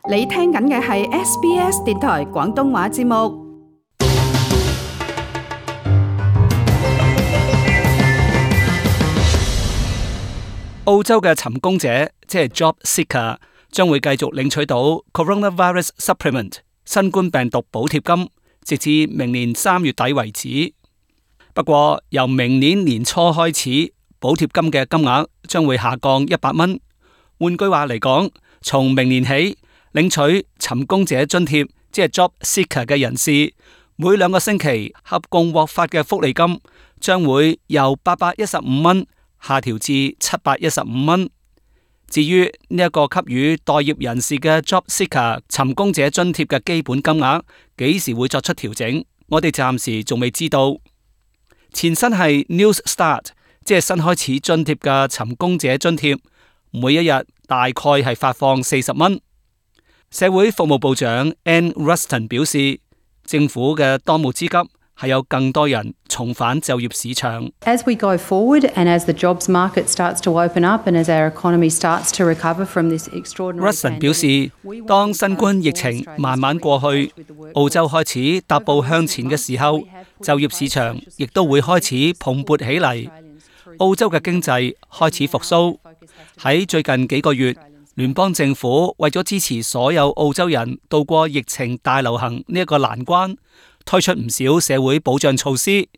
你聽緊嘅係 SBS 電台廣東話節目。澳洲嘅尋工者，即係 Job Seeker，將會繼續領取到 Coronavirus Supplement 新冠病毒補貼金，直至明年3月底為止。不過，由明年年初開始，補貼金嘅金額將會下降100蚊。換句話嚟講，從明年起，領取尋工者津貼，即係 Job Seeker 嘅人士，每2個星期合共獲發嘅福利金將會由815蚊下調至715蚊。至於呢一個給予待業人士嘅 Job Seeker 尋工者津貼嘅基本金額幾時會作出調整，我哋暫時仲未知道。前身係 New Start， 即係新開始津貼嘅尋工者津貼，每一日大概係發放40蚊。社會服務部長 Anne Ruston 表示，政府嘅當務之急係有更多人重返就業市場。As we go forward and as the jobs market starts to open up and as our economy starts to recover from this extraordinary Ruston 表示，當新冠疫情慢慢過去，澳洲開始踏步向前嘅時候，就業市場亦都會開始蓬勃起嚟。澳洲嘅經濟開始復甦。喺最近幾個月，聯邦政府為咗支持所有澳洲人渡過疫情大流行呢一個難關，推出唔少社會保障措施。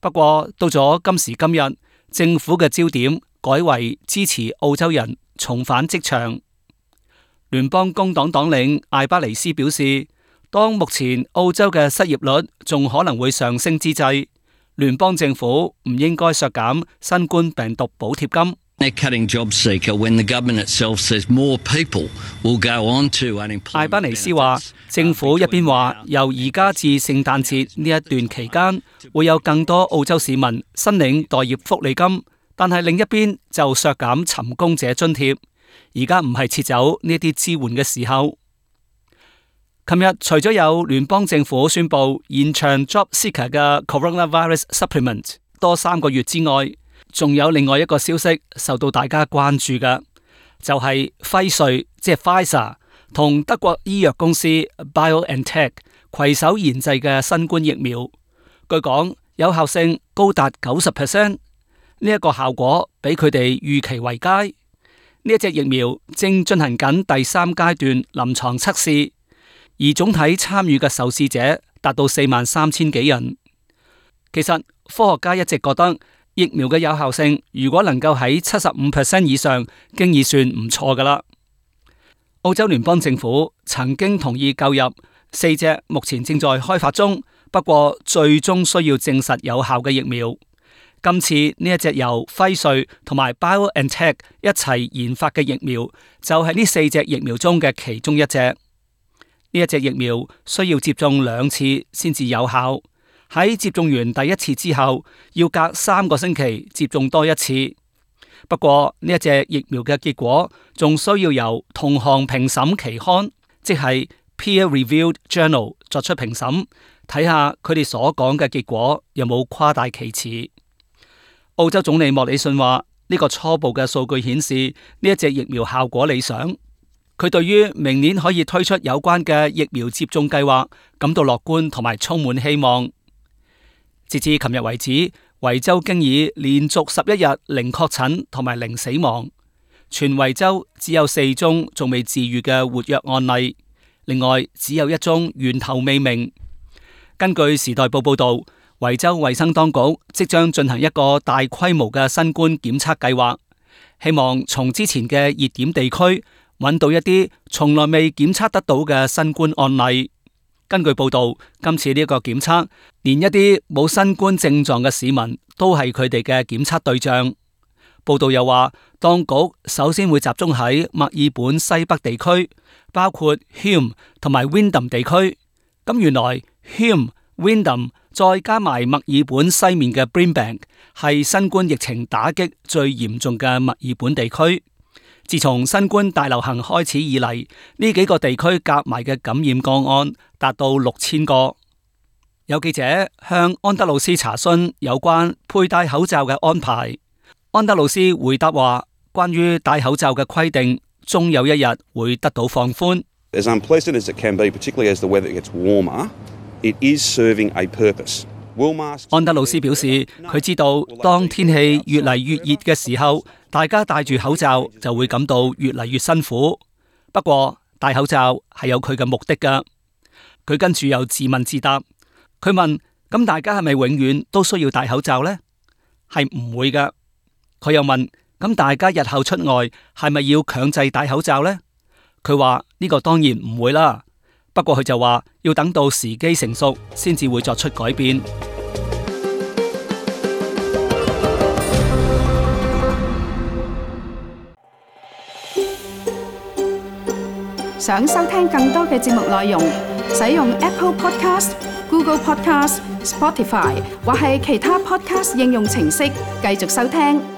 不過到咗今時今日，政府嘅焦點改為支持澳洲人重返職場。聯邦工黨黨領艾巴尼斯表示，當目前澳洲嘅失業率仲可能會上升之際，聯邦政府唔應該削減新冠病毒補貼金。They're cutting job seeker when the government itself says more people will go on to unemployment. 艾巴尼斯話，政府一邊話由而家至聖誕節呢一段期間會有更多澳洲市民申領待業福利金，但係另一邊就削減尋工者津貼。而家唔係撤走呢啲支援嘅時候。琴日除咗有聯邦政府宣布延長 Job Seeker 嘅 Coronavirus Supplement 多3個月之外，仲有另外一個消息受到大家關注嘅，就係輝瑞即係 Pfizer 同德國醫藥公司 BioNTech 攜手研製嘅新冠疫苗，據講有效性高達 90%， 呢一個效果比佢哋預期為佳。呢一隻疫苗正進行緊第3階段臨床測試，而總體參與嘅受試者達到43000幾人。其實科學家一直覺得疫苗嘅有效性如果能夠喺 75% 以上，經已算唔錯㗎喇。澳洲聯邦政府曾經同意購入4隻目前正在開發中，不過最終需要證實有效嘅疫苗。今次呢一隻由輝瑞同埋 BioNTech 一齊研發嘅疫苗，就係呢4隻疫苗中嘅其中一隻。呢一隻疫苗需要接種2次先至有效。喺接種完第1次之後，要隔3個星期接種多1次。不過呢一隻疫苗嘅結果仲需要由同行評審期刊，即係 peer-reviewed journal 作出評審，睇下佢哋所講嘅結果有冇誇大其詞。澳洲總理莫里遜話，呢個初步嘅數據顯示呢一隻疫苗效果理想。佢對於明年可以推出有關嘅疫苗接種計劃感到樂觀同埋充滿希望。截至琴日為止，維州經已連續11日零確診同埋零死亡，全維州只有4宗仲未治癒嘅活躍案例，另外只有1宗源頭未明。根據時代報報道，維州衛生當局即將進行一個大規模嘅新冠檢測計劃，希望從之前嘅熱點地區揾到一啲從來未檢測得到嘅新冠案例。根據報道，今次呢個檢測，連一啲冇新冠症狀嘅市民都係佢哋嘅檢測對象。報道又話，當局首先會集中喺墨爾本西北地區，包括 Hume 同埋 Wyndham 地區。咁原來 Hume、Wyndham 再加埋墨爾本西面嘅 Brisbane 係新冠疫情打擊最嚴重嘅墨爾本地區。自從新冠大流行開始以嚟，呢幾個地區夾埋嘅感染個案達到6000個。有記者向安德魯斯查詢有關佩戴口罩嘅安排，安德魯斯回答話，關於戴口罩嘅規定，終有一日會得到放寬。As unpleasant as it can be, particularly as the weather gets warmer, it is serving a purpose. 安德魯斯表示，佢知道當天氣越嚟越熱嘅時候，大家戴住口罩就會感到越嚟越辛苦。不過戴口罩係有佢嘅目的㗎。佢跟住又自問自答，佢問：咁大家係咪永遠都需要戴口罩呢？係唔會㗎。佢又問：咁大家日後出外係咪要強制戴口罩呢？佢話呢個當然唔會啦。不過佢就話要等到時機成熟先至會作出改變。想收聽更多嘅節目內容，使用 Apple Podcast、Google Podcast、Spotify 或係其他 Podcast 應用程式繼續收聽。